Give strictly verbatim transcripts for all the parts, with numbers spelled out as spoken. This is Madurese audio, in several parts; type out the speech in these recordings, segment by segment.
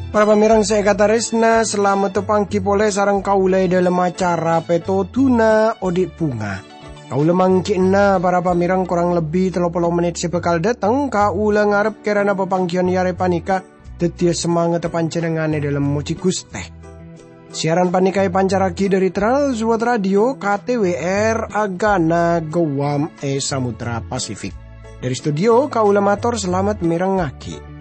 Para pamèrèng sè èkatarèsna, salamet apangghi polè sareng kaulâ è dhâlem acara Pètodhuna Odi' Bhunga. Kaulâ mangghi'na para pamèrèng korang lebbi tello polo mennit sè bhâkal dâteng. Kaulâ ngarep kèrana papangghiyân è arè panèka dhâddhiyâ samangatta panjhennengngan è dhâlem mojhi Ghustè. Siaran panèka èpancarraghi dhâri Trans World Radio, K T W R, Agana, Guam è Samudra Pasifik. Dhâri studio, kaulâ mator salamet mèrengngaghi.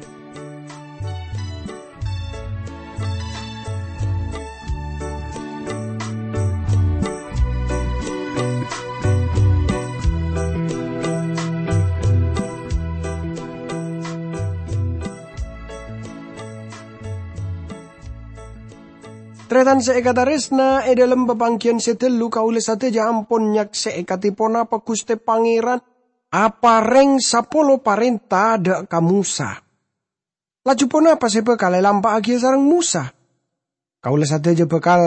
Tarètan sè èkatarèsna, è dhâlem papangghiyân sè ghâllu kaulâ sadhâjâ ampon nyaksè'è kadhi ponapa Ghustè Pangèran aparèng sapolo parènta dâ' ka Mosa. Laju ponapa sè bhâkal èlampa'aghiyâ sareng Mosa? Kaulâ sadhâjâ bhâkal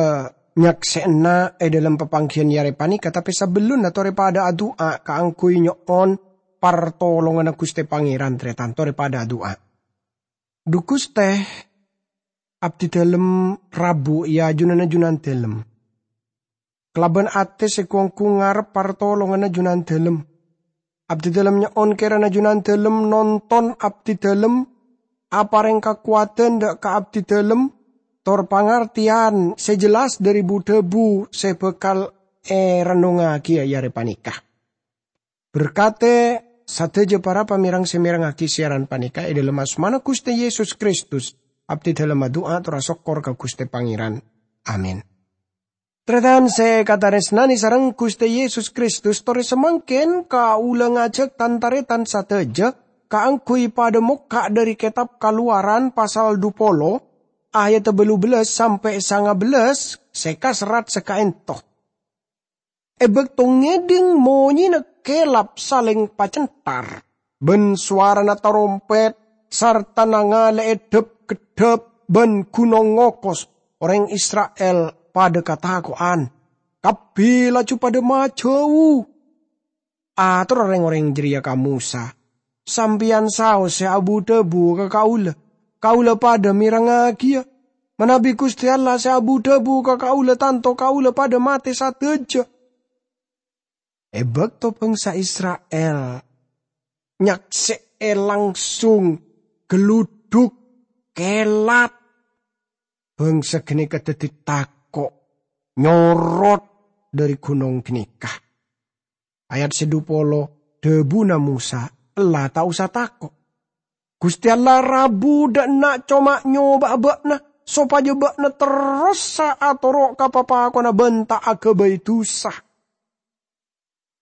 nyaksè'ana è dhâlem papangghiyân è arè panèka, tapè sabellunna torè padâ adu'a kaangghuy nyo'on partolonganna Ghustè Pangèran, tarètan, torè padâ adu'a. Dhu Ghustè, abdhidhâlem rabu è ajunanna Junandhâlem. Kalabân atè sè gu-onggu ngarep partolonganna Junandhâlem. Abdhidhâlem nyo'on kèrana Junandhâlem nonton abdhidhâlem, aparèng kakowadhân dâ' ka abdhidhâlem, tor pangartèyan sè jelas dhâri bu-dhâbu sè bhâkal èrennongngaghi è arè panèka. Berkadhi sadhâjâ para pamèrèng sè mèrengngaghi siaran panèka è dhâlem asmana Ghustè Yesus Kristus, abdhidhâlem adu'a tor asokkor ka Ghustè Pangèran. Amin. Tarètan sè èkatarèsnanè sareng Ghustè Yesus Kristus, torè samangkèn kaulâ ngajhâk tan-tarètan sadhâjâ kaangghuy padâ mokka' dhâri kètab Kalowaran pasal dhu polo, ayaddhâ bâllu bellâs sampè' sanga bellâs sè kaserrat sakaènto. È bâkto ngèdhing monyèna kèlap salèng pacenthar, bân sowarana tarompèt, sarta nangalè'è dhâp-keddhâp bân ghunong ngokos, orèng Isra'il padâ katako'an. Kabbhi laju padâ majâu. Atorra rèng-orèng jârèya ka Mosa, "Sampèyan saos sè abu-dhâbu ka kaulâ, kaulâ padâ mèrengngagiyâ. Manabi Ghustè Allah sè abu-dhâbu ka kaulâ, tanto kaulâ padâ matè sadhâjâ." È bâkto bangsa Isra'il nyaksè'è langsung galludhuk, kèlap, bangsa ghânèka dhâddhi tako', nyorot dhâri ghunong ghânèka. Ayat sè dhu polo, dhâbuna Mosa, "Ella ta' osa tako'. Ghustè Allah rabu dâ' enna' coma nyoba'a bâ'na, sopajâ bâ'na terrosa atoro' ka papakonna bân ta' aghâbây dhusa."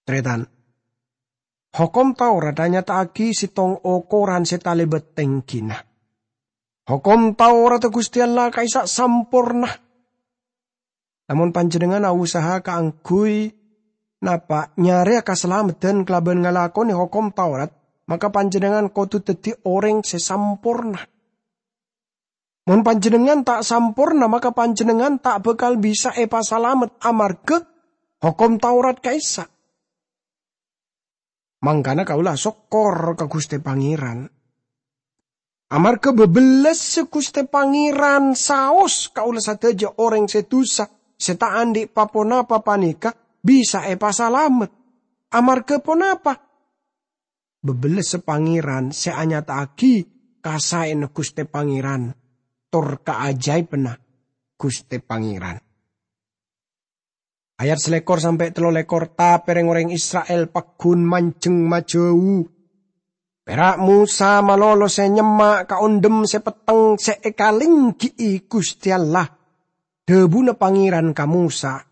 Tarètan, Hokom Taurat anyata'aghi sèttong okoran sè talèbât tèngghina. Hokom Taurat Ghustè Allah ka'issa' samporna. Lamon panjhennengngan ausaha kaangghuy napa nyarèya kasalameddhân kalabân ngalakonè Hokom Taurat, maka panjhennengngan kodhu dhâddhi orèng sè samporna. Mon panjhennengngan ta' samporna, maka panjhennengngan ta' bhâkal bisa èpasalamet amarghâ Hokom Taurat ka'issa'. Mangkana kaulâ asokkor ka Ghustè Pangèran. Amarghâ bâbellâssa Ghustè Pangèran saos kaulâ sadhâjâ orèng sè dhusa, sè ta' andi' pa-ponapa panèka bisa èpasalamet. Amarghâ ponapa? Bâbellâssa Pangèran sè anyata'aghi kasaèna Ghustè Pangèran, tor kaajâibhânna Ghustè Pangèran. Ayat salèkor sampè' tello lèkor, tapè rèng-orèng Isra'il pagghun manjheng majâu. Pèra' Mosa malolo sè nyemma' ka ondhem sè petteng sè èkalènggi'i Ghustè Allah. Dhâbuna Pangèran ka Mosa,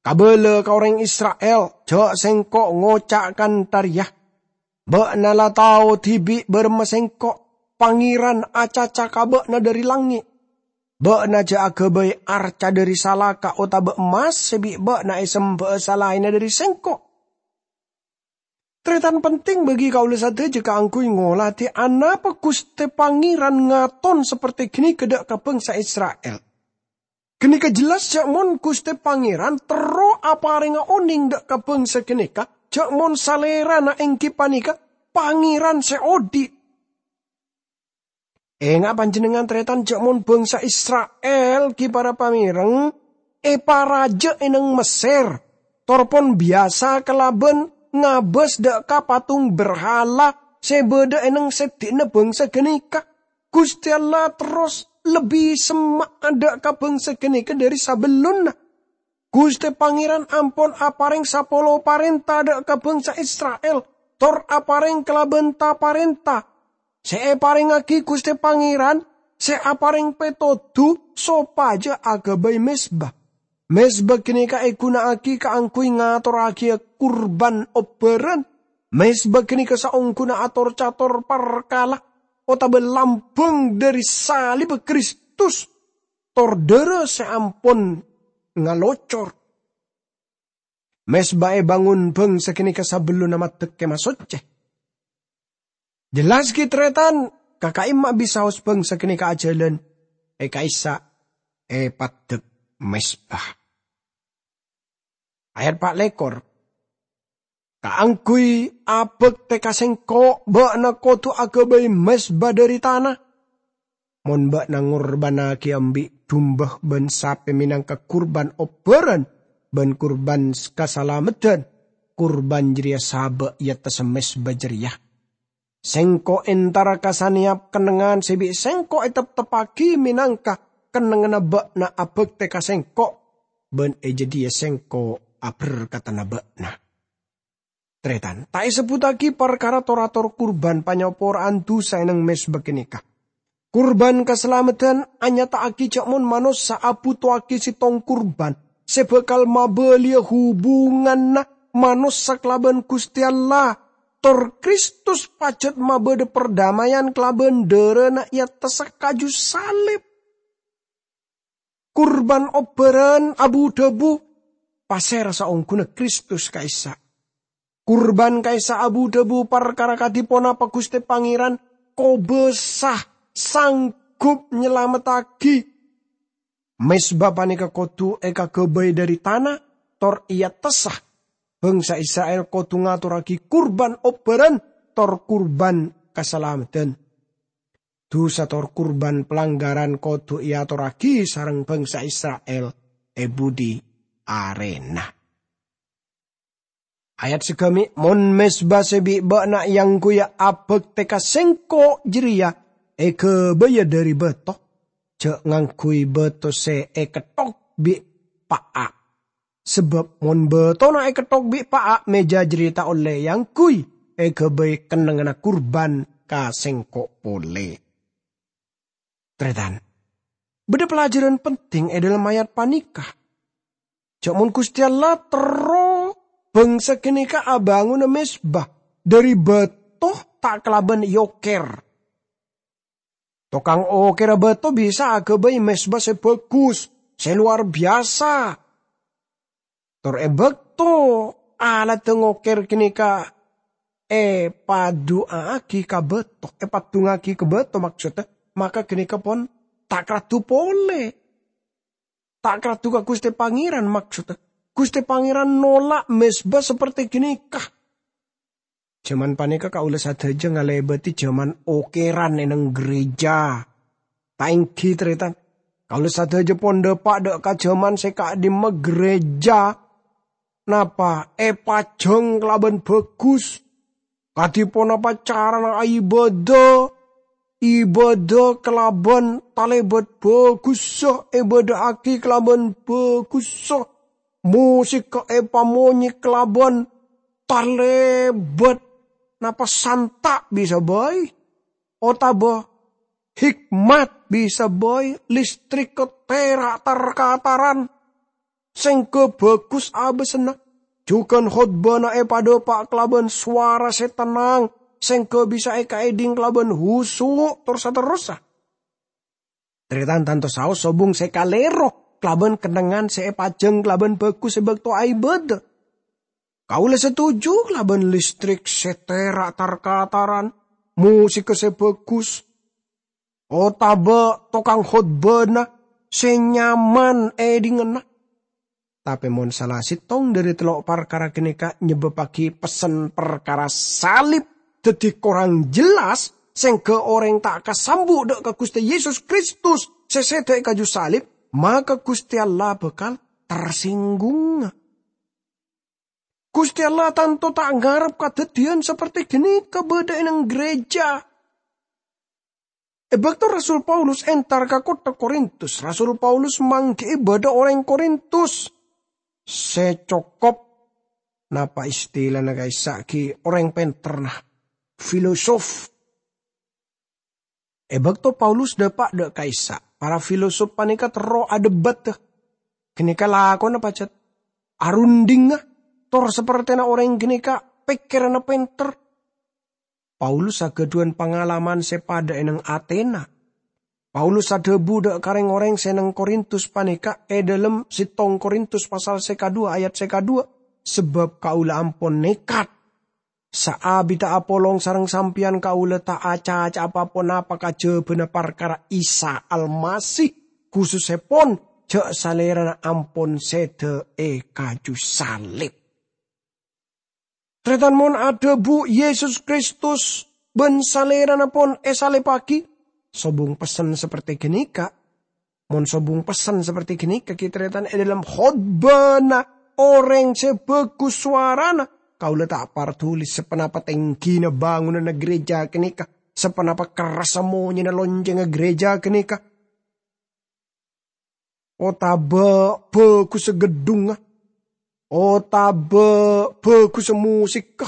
"Kabâlâ ka orèng Isra'il, jhâ' sèngko' ngoca' kantha rèya, 'Bâ'na la tao dhibi' bârâmma sèngko'. Pangèran acaca ka bâ'na dhâri langngè'. Bâ'na jhâ' aghâbây arca dhâri salaka otabâ emmas sè bi' bâ'na èsemba'a salaènna dhâri sèngko'.'" Tarètan, penting bagi kaulâ sadhâjâ kaangghuy ngolatè anapa Ghustè Pangèran ngaton saperte ghânèka dâ' ka bangsa Isra'il. Ganeka jelas ja' mon Guste Pangeran terro aparenga oneng dha' ka bangsa ganeka, ja' mon Salerana enggi paneka Pangeran se odhi'. Enga' panjennengngan, taretan, ja' mon bangsa Isra'il gi' para pamereng eparaja e nang Messer, tor pon biyasa kalaban ngabas dha' ka patung berhala se badha e nang seddi'na bangsa ganeka. Guste Allah terros lebbi semma'a dha' ka bangsa ganeka dhari sabellunna. Guste Pangeran ampon apareng sapolo parenta dha' ka bangsa Isra'il, tor apareng kalaban ta-parenta. Se eparengngagi Guste Pangeran, se apareng petodu sopaja agabay mezba. Mezba ganeka eguna'agi kaangguy ngatorragiya kurban obbaran. Mezba ganeka saongguna ator-cator parkala otaba lambang dhari salibba Kristus, tor dhara se ampon ngalocor. Mezba ebangun bangsa ganeka sabellunna maddek Kemah Socce. Jelas gi' taretan, ka ka'imma bisaos bangsa ganeka ajalan e ka'issa' e paddek mezba. Ayat pa' lekor. Kaangguy abakte ka Sengko', ba'na kodu agabay mezba dhari tana. Mon ba'na ngorbannagi embi' dumba ban sape menangka kurban obbaran ban kurban s-, kasalameddhan, kurban jareya saba' e attassa mezba jareya. Sengko' entara ka saneyap kennengngan se bi' Sengko' eteppteppagi menangka kennengnganna ba'na abakte ka Sengko', ban e jadhiya Sengko' aberkadana ba'na. Taretan, ta' esebbuttagi parkara tor-ator kurban panyapora'an dusa e nang mezba ganeka. Kurban kasalameddhan anyata'agi ja' mon manossa abutowagi settong kurban se bakal mabaliya hubunganna manossa kalaban Guste Allah, tor Kristus pajat mabadha pardama'an kalaban dharana e attassa kaju salib. Kurban obbaran abu-dhabu pasera saongguna Kristus ka'issa'. Kurban ka'issa' abu-dhabu parkara kadi ponapa Guste Pangeran kobasa sanggup nyalamettagi. Mezba paneka kodu ekagabay dhari tana, tor e attassa. Bangsa Isra'il kodu ngatorragi kurban obbaran tor kurban kasalameddhan. Dusa tor kurban palanggaran kodu eatorragi sareng bangsa Isra'il e budhi arena. Ayat sagami', "Mon mezba se bi' ba'na eangguya abakte ka Sengko' jareya egabaya dhari bato, ja' ngangguy bato se eketthok bi' pa'a'. Sabab mon batona eketthok bi' pa'a', meja jareya ta' olle eangguy egabay kennengnganna kurban ka Sengko' pole." Taretan, badha pelajaran penting e dhalem ayat paneka. Ja' mon Guste Allah terro bangsa ganeka abangona mezba dhari bato ta' kalaban eoker. Tokang okerra bato bisa agabay mezba se bagus, se lowar biyasa. Tor e bakto alatta ngoker ganeka epadu'aagi ka bato, epaddungngagi ka bato, maksodda, maka ganeka pon ta' karaddu pole. Ta' karaddu ka Guste Pangeran, maksodda. Guste Pangeran nolak mezba saperti ganeka. Jaman paneka kaula sadaja ngalebadi jaman okeran e neng gereja. Ta' enggi, taretan. Kaula sadaja pon dapa' dha' ka jaman se ka'dimma gereja, napa, epajang kalaban bagus. Kadi ponapa carana aibada? Ibada kalaban talebat bagussa, ebada'agi kalaban bagussa. Mosikka epamonye kalaban talebat, napa santa' bisa bai, otaba hikmat bisa bai, listrikka tera' tar-kataran, sengga bagus abasanna, jugan khotbana epadapa' kalaban sowara se tennang, sengga bisa ekaedhing kalaban husu', tor saterrossa. Taretan tanto saos sobung se kalero kalaban kennengngan se epajang kalaban bagus e bakto aibada. Kaula setuju kalaban listrik se tera' tar-kataran, mosikka se bagus, otaba tokang khotbana sè nyaman èdhinganna. Tapè mon sala sèttong dhâri tello' parkara ghânèka nyebbabbhâghi pessen parkara salib dhâddhi korang jelas, sèngghâ orèng ta' kasambu' dhâ' ka Ghustè Yesus Kristus sè sèdhâ è kaju salib, maka Ghustè Allah bhâkal tersinggungnga. Ghustè Allah tanto ta' ngarep kadhâddhiyân saperte ghânèka bâdâ è neng gereja. È bâkto Rasul Paulus entar ka kottha Korintus, Rasul Paulus mangghi'i bâdâ orèng Korintus sè cokop, napa istilana ka'issa' ghi' orèng pènterra, filosof. È bâkto Paulus dâpa' dhâ' ka'issa', para filosof panèka terro adebat, ghânèka lakona pajhât arundhingnga, tor sapertèna orèng ghânèka pèkkèranna pènter. Paulus aghâdhuwân pangalaman sè padâ è neng Atena. Paulus adhâbu dhâ' ka rèng-orèng sè neng Korintus panèka è dhâlem sèttong Korintus pasal sè kadhuwâ ayat sè kadhuwâ, "Sabâb kaulâ ampon nèkat. Saabidhâ apolong sareng sampèyan kaulâ ta' acaca'a pa-ponapa kajhâbhâna parkara Isa Almasih, khusussèpon jhâ' Salèrana ampon sèdhâ è kaju salib." Tarètan, mon adhâbu Yesus Kristus bân Salèrana pon èsalibbhâghi, sobung pessen saperte ghânèka. Mon sobung pessen saperte ghânèka ghi' tarètan è dhâlem khotbana orèng sè bhâghus sowarana, kaulâ ta' parduli saponapa tèngghina bângonanna gereja ghânèka, saponapa kerrassa monyèna loncèngnga gereja ghânèka, otabâ bhâghussa geddhungnga, otabâ bhâghussa musikka.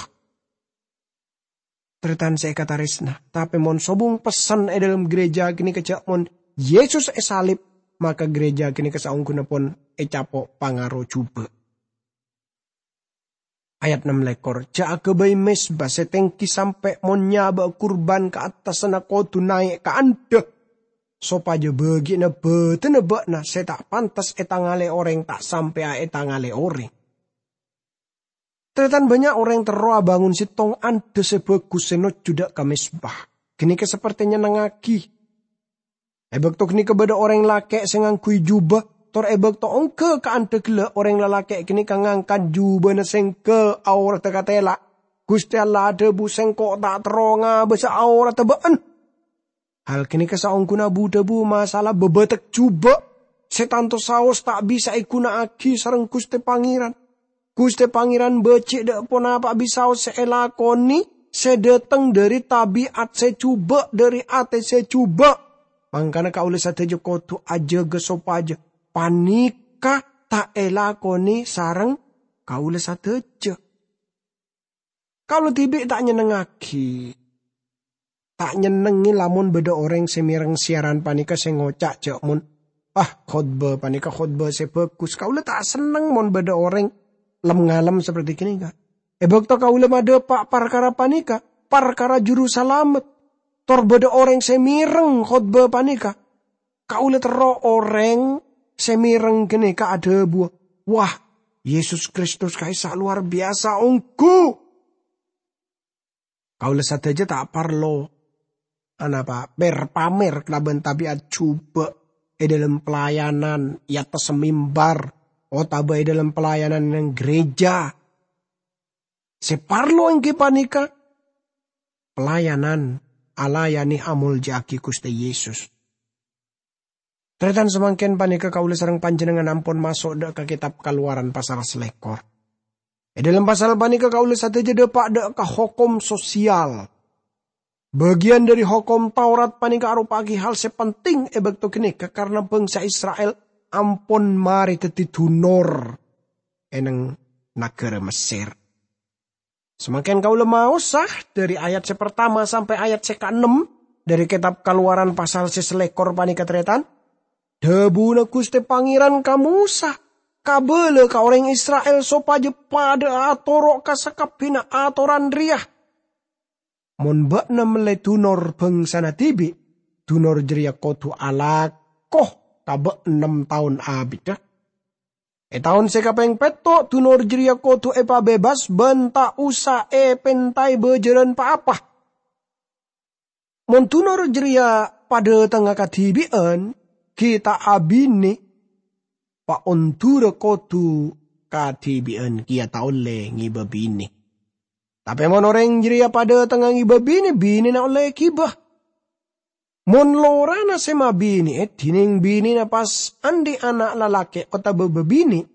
Tarètan sè èkatarèsna, tapè mon sobung pessen è dhâlem gereja ghânèka jhâ' mon Yesus èsalib, maka gereja ghânèka saongghuna pon ècapo' pangaro jhubâ'. Ayat ennem lèkor, "Jhâ' aghâbây mezba sè tèngghi sampè' mon nyabâ'â kurban ka attassanna kodhu naè' ka andhâ, sopajâ bâgiânna bâdânna bâ'na sè ta' pantes ètangalè orèng ta' sampè'a ètangalè orèng." Tarètan, bânnya' orèng terro abângon sèttong andhâ sè bhâghus sè nojjhu dhâ' ka mezba. Ghânèka saperte nyennengngaghi. È bâkto ghânèka bâdâ orèng lakè' sè ngangghuy jhubâ, tor è bâkto ongghâ ka andhâ ghellâ' orèng lalakè' ghânèka ngangkat jhubâna sèngghâ aoradhâ katèla'. Ghustè Allah adhâbu, "Sèngko' ta' terro ngabâsa aoradhâ bâ'ân." Hal ghânèka saongghuna bu-dhâbu masalah bâbâtek jhubâ' sè tanto saos ta' bisa èghuna'aghi sareng Ghustè Pangèran. Ghustè Pangèran bâji' dhâ' ponapa'a bisaos sè èlakonè sè dâteng dhâri tabi'at sè jhubâ', dhâri atè sè jhubâ'. Mangkana kaulâ sadhâjâ kodhu ajâgâ sopajâ panèka ta' èlakonè sareng kaulâ sadhâjâ. Kaulâ dhibi' ta' nyennengngaghi. Ta' nyennengngè lamon bâdâ orèng sè mèreng siaran panèka sè ngoca' jhâ' mon, "Ah, khotbah panèka khotbah sè bhâghus." Kaulâ ta' senneng mon bâdâ orèng lem-ngalem saperte ghânèka. È bâkto kaulâ madhâpa' parkara panèka, parkara Jurusalamet, tor bâdâ orèng sè mèreng khotbah panèka, kaulâ terro orèng sè mèreng ghânèka adhâbuwâ, "Wah, Yesus Kristus ka'issa' lowar biyasa ongghu!" Kaulâ sadhâjâ ta' parlo, anapa, mer-pamer kalabân tabi'at jhubâ' è dhâlem pelayanan è attas mimbar otabâ è dhâlem pelayanan neng gereja. Sè parlo èngghi panèka pelayanan, alayanè amolja'aghi Ghustè Yesus. Tarètan samangkèn panèka kaulâ sareng panjhennengngan ampon maso' dhâ' ka Kètab Kalowaran pasal salèkor. È dhâlem pasal panèka kaulâ sadhâjâ dhâpa' dhâ' ka hokom sosial. Bâgiyân dhâri Hokom Taurat panèka aropa'aghi hal sè penting è bâkto ghânèka, karna bhângsa Isra'il ampon marè dhâddhi dunor è neng naghârâ Messèr. Samangkèn kaulâ maosa dhâri ayat sè partama sampè' ayat sè kaennem dhâri Kètab Kalowaran pasal sè salèkor panèka, tarètan. Dhâbuna Ghustè Pangèran ka Mosa, "Kabâlâ ka orèng Isra'il sopajâ padhâ atoro' ka sakabbhiyânna atoran rèya. Mon bâ'na mellè dunor bhângsana dhibi', dunor jârèya kodhu alako ka bâ' ennem taon abiddhâ. È taon sè kapèng pètto', dunor jârèya kodhu èpabebas bân ta' osa èpèntaè bâjârân pa-apa. Mon dunor jârèya padhâtengnga kadhibi'ân, ghi' ta' abine, paondura kodu kadhibi'an kèya ta' olle ngèbâ bine. Tape mon oreng jareya padha tengnga ngèbâ bine, binena olle èghibâ. Mon lorana se mabine'e, dineng binena pas andhi' ana' lalake' otaba babine',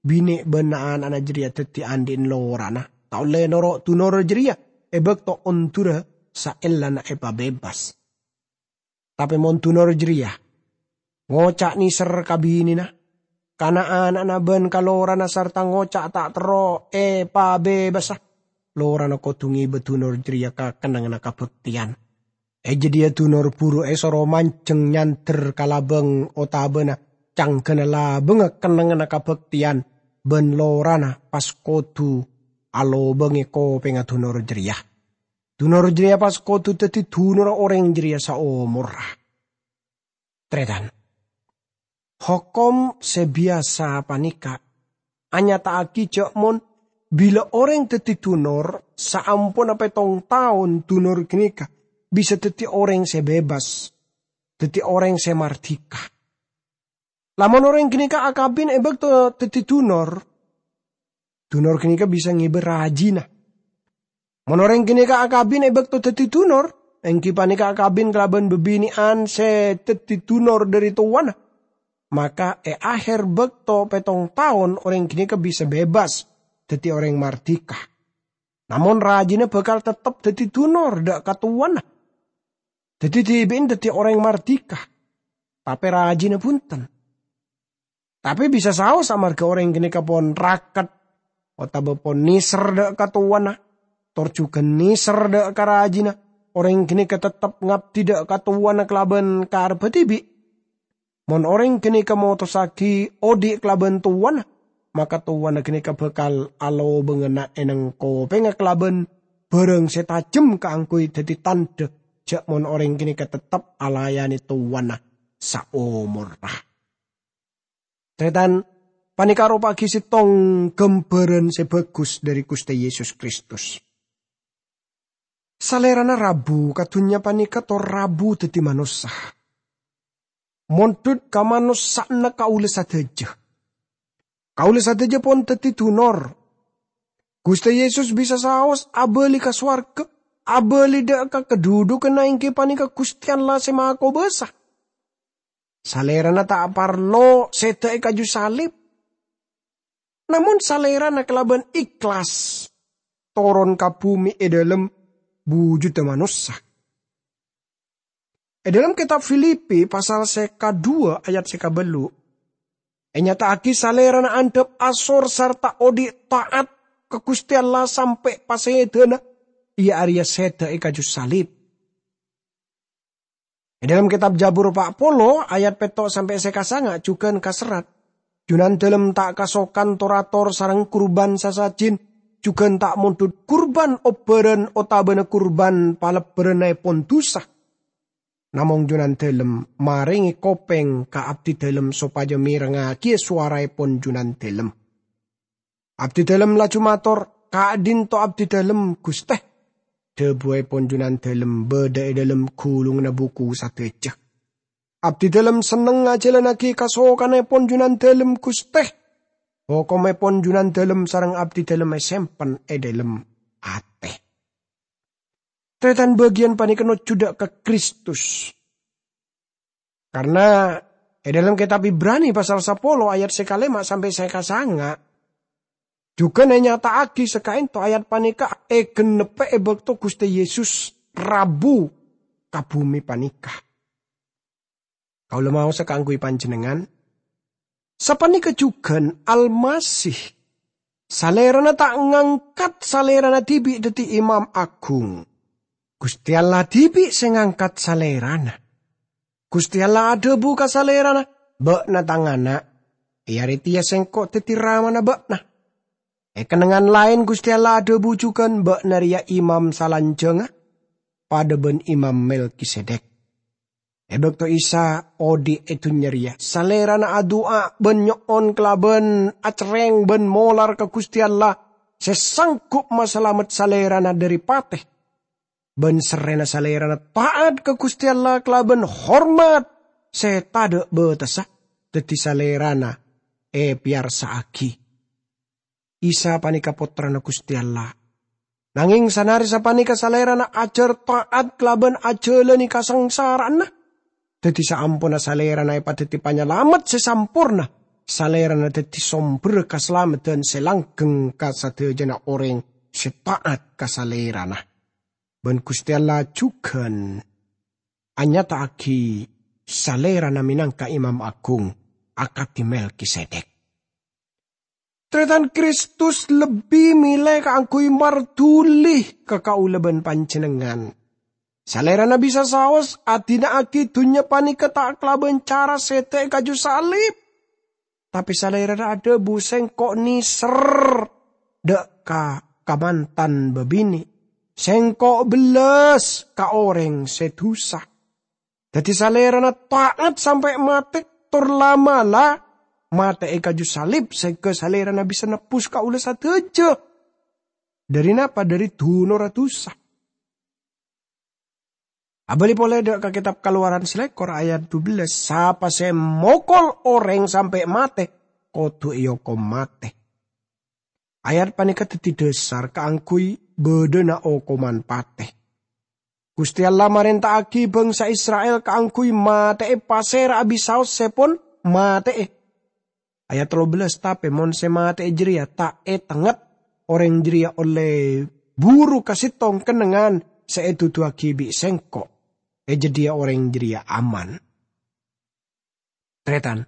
bine ban ana'-ana' jareya daddi andhi'en lorana, ta' olle noro' dunor jareya e bakto ondura saellana epabebas. Tape mon dunor jareya ngoca' neser ka binena, ka na'-ana'na ban ka lorana sarta ngoca' ta' terro epabebasa, lorana kodu ngèbâ dunor jareya ka kennengnganna kabakteyan. E jadhiya dunor buru esoro manjeng nyander ka labang otabana canggana labangnga kennengnganna kabakteyan, ban lorana pas kodu alobange kopengnga dunor jareya. Dunor jareya pas kodu daddi dunorra oreng jareya saomorra. Taretan, hokom se biyasa paneka anyata'agi ja' mon bila oreng daddi dunor, saamponna pettong taon dunor ganeka bisa daddi oreng se bebas, daddi oreng se mardika. Lamon oreng ganeka akabin e bakto daddi dunor, dunor ganeka bisa ngeba rajina. Mon oreng ganeka akabin e bakto daddi dunor, enggi paneka akabin kalaban babine'an se daddi dunor dhari towana, maka e aher bakto pettong taon oreng ganeka bisa bebas daddi oreng mardika. Namon rajina bakal tettep daddi dunor dha' ka towana. Daddi dhibi'en daddi oreng mardika, tape rajina bunten. Tape bisa saos amarga oreng ganeka pon raket otaba pon neser dha' ka towana, tor jugan neser dha' ka rajina, oreng ganeka tettep ngabdi dha' ka towana kalaban karebba dhibi'. Mon oreng ganeka motossagi odhi' kalaban towana, maka towana ganeka bakal alobangana eneng kopengnga kalaban barang se tajem kaangguy daddi tandha ja' mon oreng ganeka tettep alayane towana saomorra. Taretan, paneka aropa'agi settong gambaran se bagus dhari Guste Yesus Kristus. Salerana rabu ka dunnya paneka tor rabu daddi manossa. Mondhut ka manossa'anna kaula sadaja. Kaula sadaja pon daddi dunor. Guste Yesus bisa saos abali ka sowarga, abali dha' ka kadhudhuganna enggi paneka Guste Allah se makobasa. Salerana ta' parlo seda e kaju salib. Namon Salerana kalaban ikhlas toron ka bume e dhalem bujudda manossa. E dhalem Ketab Filipi pasal se kadhuwa ayat se kabellu', enyata'agi Salerana andhap asor sarta odhi' ta'at ka Guste Allah sampe' pasedana, iya areya seda e kaju salib. E dhalem Ketab Jabur pa' polo ayat petto' sampe' se kasanga jugan kaserrat, "Junandalem ta' kasokan tor-ator sareng kurban sasajin, jugan ta' mondhut kurban obbaran otabana kurban palebbarannaepon dusa. Namong Junandalem marenge kopeng ka abdidalem sopaja merengngagiya sowaraepon Junandalem." Abdidalem laju mator, "Ka'dhinto abdidalem, Guste." Dhabuepon Junandalem badha e dhalem gulunganna buku sadaja. Abdidalem senneng ngajalannagi kasokanepon Junandalem, Guste. Hokomepon Junandalem sareng abdidalem esempen e dhalem ate. Taretan, bagiyan paneka nojjudda ka Kristus. Karna e dhalem Ketab Ibrani pasal sapolo ayat se kalema sampe se kasanga, jugan enyata'agi sakaento ayat paneka egenneppe e bakto Guste Yesus rabu ka bume paneka. Kaula maosa kaangguy panjennengngan, sapaneka jugan Almasih, Salerana ta' ngangkat Salerana dibi' daddi Imam Agung. Guste Allah dibi' se ngangkat Salerana. Guste Allah adhabu ka Salerana, "Ba'na Tang Ana', e are teya Sengko' daddi Ramana ba'na." E kennengngan laen Guste Allah adhabu jugan, "Ba'na reya Imam salanjangnga." padha ban Imam Melkisedek. E bakto Isa odhi' e dunnya reya, Salerana adu'a ban nyo'on kalaban acerreng ban molar ka Guste Allah se sanggup masalamet Salerana dhari pate. Ban serrena Salerana ta'at ka Guste Allah kalaban hormat sè tadâ' bâtessa, dhâddhi Salèrana èpèyarsa'aghi. Isa panèka Pottrana Ghustè Allah. Nangèng sanare sapanèka Salèrana ajhâr ta'at kalabân ajhâlânè kasangsara'anna. Dhâddhi saamponna Salèrana èpadhâddhi Panyalamet sè samporna, Salèrana dhâddhi sombherra kasalameddhân sè langgheng ka sadhâjâna orèng sè ta'at ka Salèrana. Bân Ghustè Allah jhughân anyata'aghi Salèrana mènangka Imam Aghung akadhi Melkisedek. Tarètan, Kristus lebbi mèlè kaangghuy marduli ka kaulâ bân panjhennengngan. Salèrana bisa saos adina'aghi dhunnya panèka ta' kalabân cara sèdhâ è kaju salib. Tapè Salèrana adhâbu, "Sèngko' nèser dâ' ka kamantan bâbinè'. Sèngko' bellas ka orèng sè dusa." Dhâddhi Salèrana ta'at sampè' matè, tor la'-mala' matè è kaju salib, sèngghâ Salèrana bisa nebbhus kaulâ sadhâjâ. Dhâri napa? Dhâri dunorra dusa. Abâli polè dâ' ka Kètab Kalowaran salèkor ayat dubellâs, "Sapa sè mokol orèng sampè' matè, kodhu èokom matè." Ayat panèka dhâddhi dhâsar kaangghuy bâdâna okoman patè. Ghustè Allah marènta'aghi bhângsa Isra'il kaangghuy matè'è pasèra'a bisaos sè pon matè'è. Ayat tello bellâs, "Tapè mon sè matè'è jârèya ta' ètengnget, orèng jârèya ollè buru ka sèttong kennengngan sè èduduwâghi bi' sèngko'. È jâdiyâ orèng jârèya aman." Tarètan,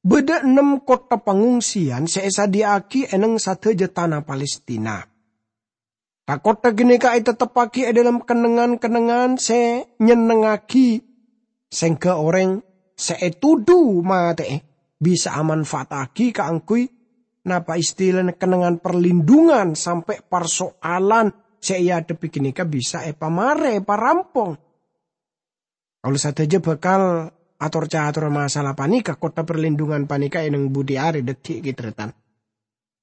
bâdâ ennem kottha pangongsiyan sè èsadhiyâ'aghi è neng sadhâjâ tana Palestina. Ka-kottha ghânèka ètetteppaghi è dhâlem kennengngan-kennengngan sè nyennengngaghi, sèngghâ orèng sè ètodhu matè'è bisa amanfaataghi kaangghuy, napa istilana, kennengngan parlindhungan sampè' parsoalan sè èadhebbhi ghânèka bisa èpamarè, èparampong. Kaulâ sadhâjâ bhâkal ator-cator masalah panèka, kottha parlindhungan panèka è neng budi arè dhâggi' ghi, tarètan.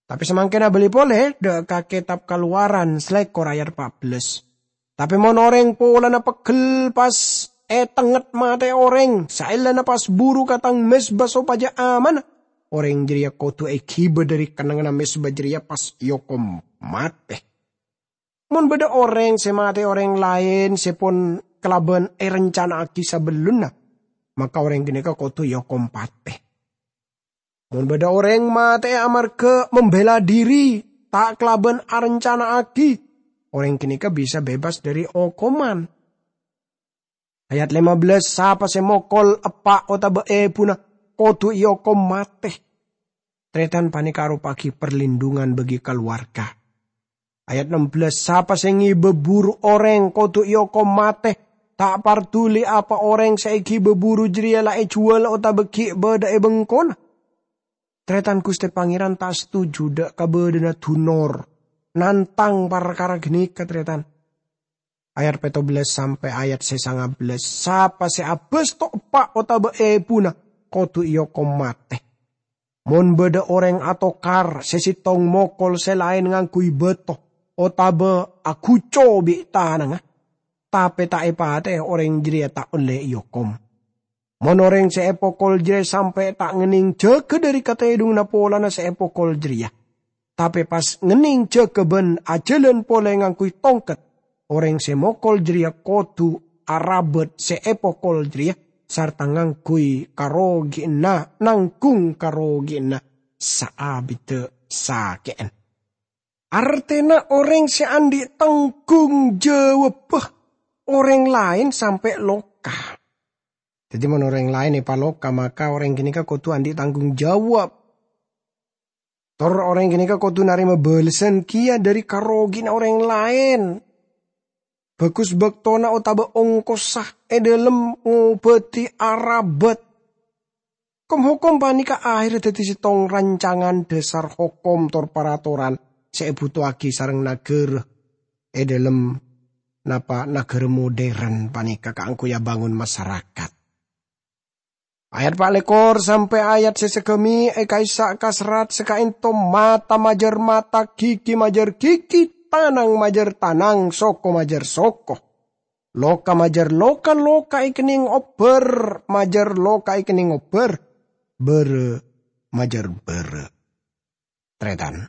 Tapè samangkèn abâli polè dâ' ka Kètab Kalowaran salèkor ayat pa' bellâs. Tapè mon orèng polana pegghel pas ètengnget matè'è orèng, saellana pas buru ka tang mezba sopajâ aman, orèng jârèya kodhu èghibâ dhâri kennengnganna mezba jârèya pas èokom matè. Mon bâdâ orèng sè matè'è orèng laèn sè pon kalabân èrencana'aghi sabellunna, maka orèng ghânèka kodhu èokom patè. Mon bâdâ orèng matè'è amarghâ membela diri, ta' kalabân arencana'aghi, orèng ghânèka bisa bebas dhâri okoman. Ayat lima bellâs, "Sapa sè mokol eppa' otabâ èbuna kodhu èokom matè." Tarètan, panèka aropa'aghi parlindhungan bagi kalowarga. Ayat ennem bellâs, "Sapa sè ngibâ buru orèng kodhu èokom matè, ta' parduli apa orèng sè èghibâ buru jârèya la èjhuwâl otabâ ghi' bâdâ è bengkona." Tarètan, Ghustè Pangèran ta' setuju dâ' ka bâdâna dunor nantang parkara ghânèka, tarètan. Ayat pètto bellâs sampè' ayat sè sanga bellâs, "Sapa sè abâsto eppa' otabâ èbuna kodhu èokom matè. Mon bâdâ orèng atokar sè sèttong mokol sè laèn ngangghuy bâto otabâ aguco bi' tanangnga, tapè ta' èpatè'è, orèng jârèya ta' ollè èokom. Mon orèng sè èpokol jârèya sampè' ta' ngennèng jâgâ dhâri katèdhunganna polana sè èpokol jârèya, tapè pas ngennèng jâgâ bân ajhâlân polè ngangghuy tongket, orèng sè mokol jârèya kodhu arabât sè èpokol jârèya sarta ngangghuy karogi'anna, nanggung karogi'anna saabiddhâ sakè'an." Artèna orèng sè andi' tanggung jawabbhâ orèng laèn sampè' loka. Dhâddhi, mon orèng laèn èpaloka, maka orèng ghânèka kodhu andi' tanggung jawab. Tor orèng ghânèka kodhu narèma bâlessan kèya dhâri karogi'anna orèng laèn. Bhâghus bâktona otabâ ongkossa è dhâlem ngobâdhi arabât. Kom-hokom panèka ahèrra dhâddhi sèttong rancangan dhâsar hokom tor paratoran sè èbhutoaghi sareng naghârâ è dhâlem napa naghârâ modern panèka kaangghuy abângon masarakat. Ayat pa' lèkor sampè' ayat sè saghâmè' è ka'issa' kaserrat sakaènto, mata majâr mata, ghighi majâr ghighi, tanang majâr tanang, soko majâr soko. Loka majâr loka, loka èkennèng obbhâr majâr loka èkennèng obbhâr, bârâ majâr bârâ. Tarètan,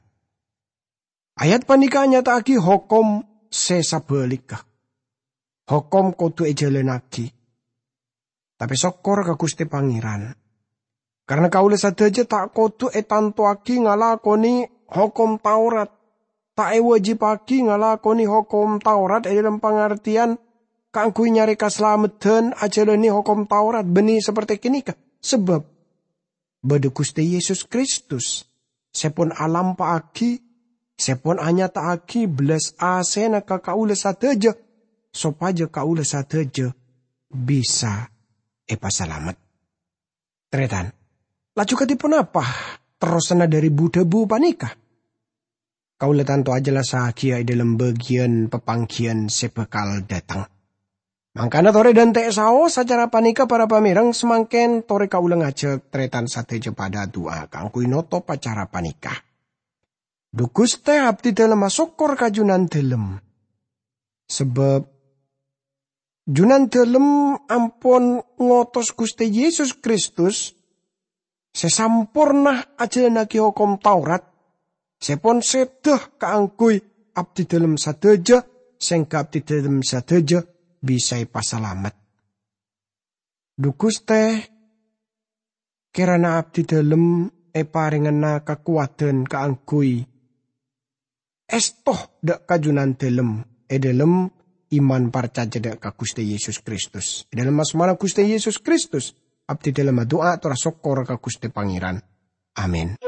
ayat panèka nyata'aghi hokom sè sabhâligghâ. Hokom kodhu èjhâlânnaghi. Tapè sokkor ka Ghustè Pangèran. Karana kaulâ sadhâjâ ta' kodhu ètantowaghi ngalakonè hokom Taurat. Ta' èwajibbhâghi ngalakonè hokom Taurat è dhâlem pangartèyan kaangghuy nyarè kasalameddhân ajhâlânè hokom Taurat bânnè saperte ghânèka. Sabâb bâdâ Ghustè Yesus Kristus sè pon alampa'aghi, sè pon anyata'aghi bellas asèna ka kaulâ sadhâjâ, sopajâ kaulâ sadhâjâ bisa èpasalamet. Tarètan, laju kadhi ponapa terrosanna dhâri bu-dhâbu panèka? Kaulâ tanto ajhellassaghiyâ è dhâlem bâgiyân papangghiyân sè bhâkal dâteng. Mangkana torè dhânte' saos acara panèka, para pamèreng, samangkèn torè kaulâ ngajhâk tarètan sadhâjâ padâ adu'a kaangghuy notop acara panèka. Dhu Ghustè, abdhi dhâlem asokkor ka Junandhâlem. Sabâb Junandhâlem ampon ngotos Ghustè Yesus Kristus sè samporna ajhâlânnaghi hokom Taurat, sè pon sèdhâ kaangghuy abdhi dhâlem sadhâjâ, sèngghâ abdhi dhâlem sadhâjâ bisa èpasalamet. Dhu Ghustè, kèrana abdhi dhâlem èparèngana kakowadhân kaangghuy èsto dhâ' ka Junandhâlem è dhâlem iman parcajâ dhâ' ka Ghustè Yesus Kristus. È dhâlem asmana Ghustè Yesus Kristus, abdhi dhâlem adu'a tor asokkor ka Ghustè Pangèran. Amin.